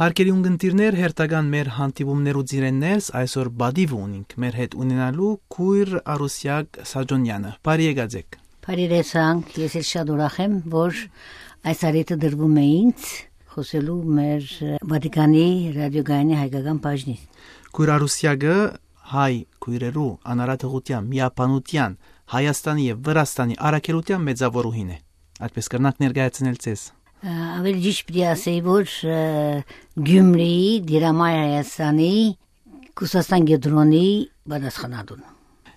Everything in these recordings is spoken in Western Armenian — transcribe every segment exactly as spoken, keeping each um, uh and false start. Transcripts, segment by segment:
Հարգելի ունգընտիրներ, հերթական մեր հանդիպումներու ծիրէն ներս այսօր պատիվը ունինք մեր հետ ունենալու քույր Արուսեակ Սաճոնեանը։ Բարի եկած եք։ Բարի յետ, ես էլ շատ ուրախ եմ, որ այս առիթը դրվում է ինձ՝ խոսելու մեր, ը, Վատիկանի ռադիոկայանի հայկական բաժնին։ Քույր Արուսեակը հայ քոյրերու անարատողութեան, միաբանութեան, Հայաստանի եւ Վրաստանի առաքելութեան մեծաւորուհին է։ Այդպես կրնանք ներկայացնել ձեզ։ Ը, ավելի ճիշդ պիտի ասեի, որ, ը, Գյումրիի Դիրամայ Հայաստանի Կուսաստան կեդրոնի պատասխանատուն։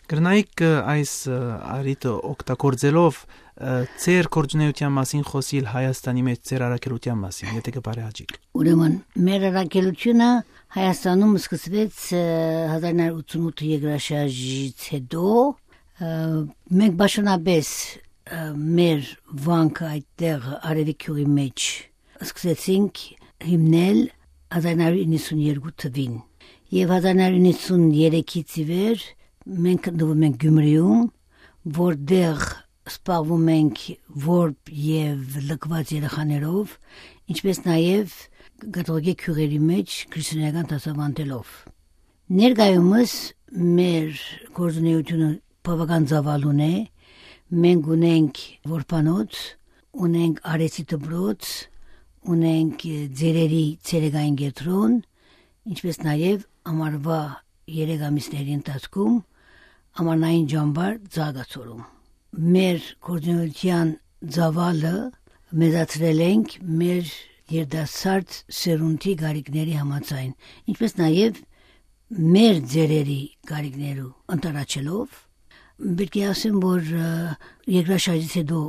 Կրնայիք, ը, այս, ը, առիթը օգտագործելով, ը, ձեր գործունեութեան մասին խոսիլ, Հայաստանի մէջ ձեր առաքելութեան մասին, եթէ կը բարեհաճիք։ Ուրեմն, մեր առաքելութիւնը Հայաստանում սկսվեց, ը, հազար նոր ութսունութ երկրաշարժից հետո, ը, մենք պաշտոնապէս, ը, մեր վանքը այդտեղ Արեւի գիւղի մէջ սկսեցինք հիմնել հազար նոր իննսուն երկու թուին։ Եւ հազար նոր իննսուն երեքից ի վեր մենք գտնվում ենք Գյումրիում, որտեղ զբաղվում ենք որբ եւ լքուած երեխաներով, ինչպես նաեւ կաթողիկէ գիւղերի մէջ քրիստոնէական դասաւանդելով։ Ներկայումս մեր գործունեութիւնը բաւական ծաւալուն է։ Մենք ունենք որբանոց, ունենք արեցի դպրոց, ունենք, ը, ծերերի ցերեկային կեդրոն, ինչպես նաեւ ամառվա երեք ամիսների ընթացքում ամառնային ճամբար Ձագացորում։ Մեր գործունեութեան ծաւալը մեծացրել ենք մեր երիտասարդ սերունդի կարիքների համաձայն, ինչպես նաեւ մեր ծերերի կարիքներու ընդառաջելով։ Պիտի ասեմ, որ, ը, երկրաշարժից հետո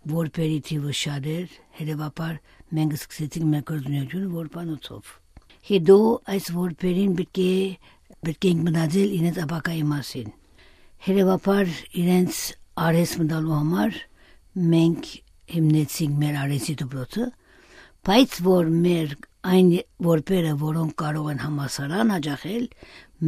որբերի թիվը շատ էր, հետեւաբար մենք սկսեցինք մեր գործունեութիւնը որբանոցով։ Հետո այս որբերին պիտի, պիտի ենք մտածել իրենց ապագայի մասին։ Հետեւաբար իրենց արհեստ մտալու համար մենք հիմնեցինք մեր արհեստի դպրոցը, բայց որ մեր այն որբերը, որոնք կարող են համալսարան յաճախել,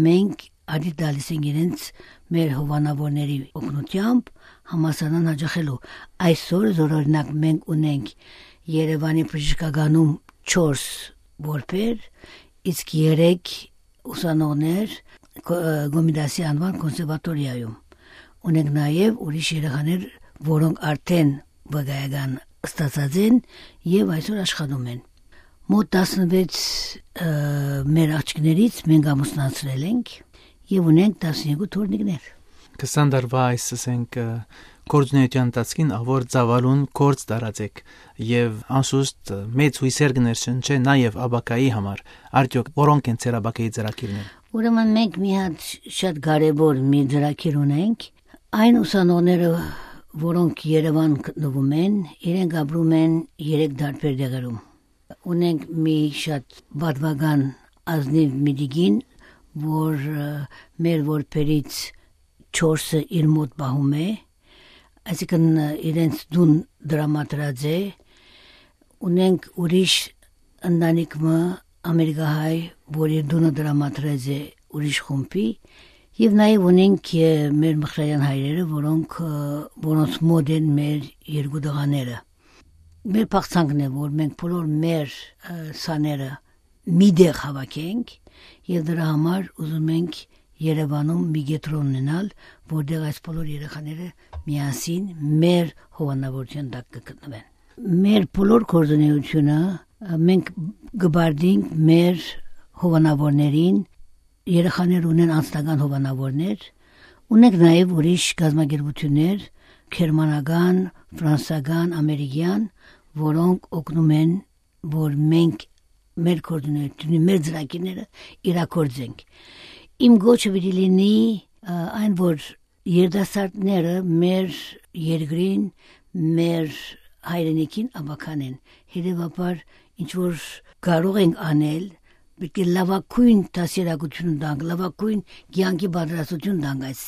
մենք ադի տալիս ենք իրենց մեր հովանավորների օգնությամբ համալսարան յաճախելու։ Այսօր, զորօրինակ, մենք ունենք Երեւանի բժշկականում չորս որբեր, իսկ երեք ուսանողներ Կո-, ը, Կոմիտասի անուան կոնսերվատորիայում։ Ունենք նաեւ ուրիշ երեխաներ, որոնք արդեն վկայական ստացած են եւ այսօր աշխատում են։ Մոտ տասնվեց, ը, մեր աղջիկներից մենք ամուսնացրել ենք եւ ունենք տասներկու թոռնիկներ։ Քսան տարուա այս, ասենք, ը, գործունեութեան ընթացքին ահա որ ծաւալուն գործ տարած եք եւ անշուշտ, ը, մեծ յուսեր կը ներշնչէ նաեւ ապագայի համար։ Արդեօք որոնք են ձեր ապագայի ծրագիրները։ Ուրեմն մենք մի հատ շատ կարեւոր մի ծրագիր ունենք։ Այն ուսանողները, որոնք Երեւան գտնվում են, իրենք ապրում են երեք տարբեր տեղերում։ Ունենք մի շատ պատմական ազնիվ մի տիկին, որ, ը, մեր որբերից չորսը իր մոտ պահում է, այսինքն, ը, իրենց տուն տրամադրած է։ Ունենք ուրիշ ընտանիք մը, ամերիկահայ, որ իր տունը տրամադրած է ուրիշ խումբի, եւ նաեւ ունենք, ը, մեր մխրարյան հայրերը, որոնք, ը, որոնց մոտ են մեր երկու տղաները։ Մեր փախցանքն է, որ մենք բոլոր մեր, ը, սաները մի տեղ հավաքենք, եւ դրա համար ուզում ենք Երեւանում մի կեդրոն ունենալ, որտեղ այս բոլոր երեխաները միասին մեր հովանավորության տակ կգտնվեն։ Մեր բոլոր գործունեությունը, ը, մենք կբարդենք մեր հովանավորներին, երեխաներ ունեն անձնական հովանավորներ, ունենք նաեւ ուրիշ կազմակերպություններ, գերմանական, ֆրանսական, ամերիկյան, որոնք օգնում են, որ մենք մեր գործունեությունը, մեր ծրագիրները իրագործենք։ Իմ գոչը պիտի լինի, ը, այն, որ երիտասարդները մեր երկրին, մեր հայրենիքին ապագան են։ Հետեւաբար, ինչ որ կարող ենք անել, պիտի լավագույն դաստիարակություն տանք, լավագույն կեանքի պատրաստություն տանք այս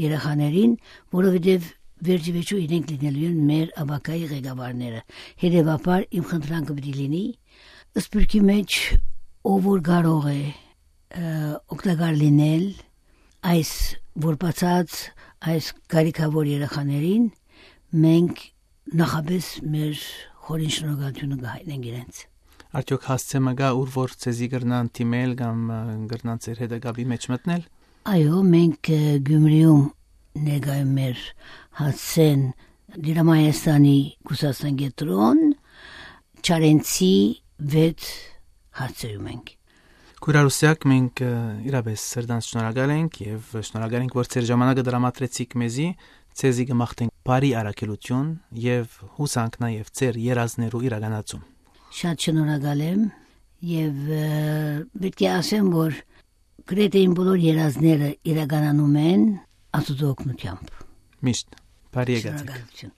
երեխաներին, որովհետեւ վերջի վերջո իրենք լինելու են մեր ապագայի ղեկավարները։ Հետեւաբար, իմ խնդրանքը պիտի լինի, սփիւռքի մէջ ով որ կարող է, ը, օգտակար լինել այս որբացած, այս կարիքաւոր երեխաներին, մենք նախապէս մեր խորին շնորհակալութիւնը կը հայտնենք իրենց։ Արդյոք հասցէ մը կա, ուր որ ձեզի կրնան դիմել կամ, ը, կրնան ձեր հետը կապի մեջ մտնել։ Այո, մենք, ը, Գյումրիում ներկայում մեր հասցեն Դիրամայաստանի կուսաստան կեդրոն, Չարենցի վեց հասցեում ենք։ Քույր Արուսեակ, մենք, ը, իրապես սրտանց շնորհակալ ենք եւ շնորհակալ ենք, որ ձեր ժամանակը տրամադրեցիք մեզի, ձեզի կմաղթենք բարի առաքելություն եւ հուսանք նաեւ ձեր երազներու իրականացում։ Շատ շնորհակալ եմ եւ, ը, պիտի ասեմ, որ գրեթէ իմ բոլոր երազները իրականանում են Աստուծոյ օգնությամբ։ Միշտ բարի եկած եք։ Շնորհակալություն։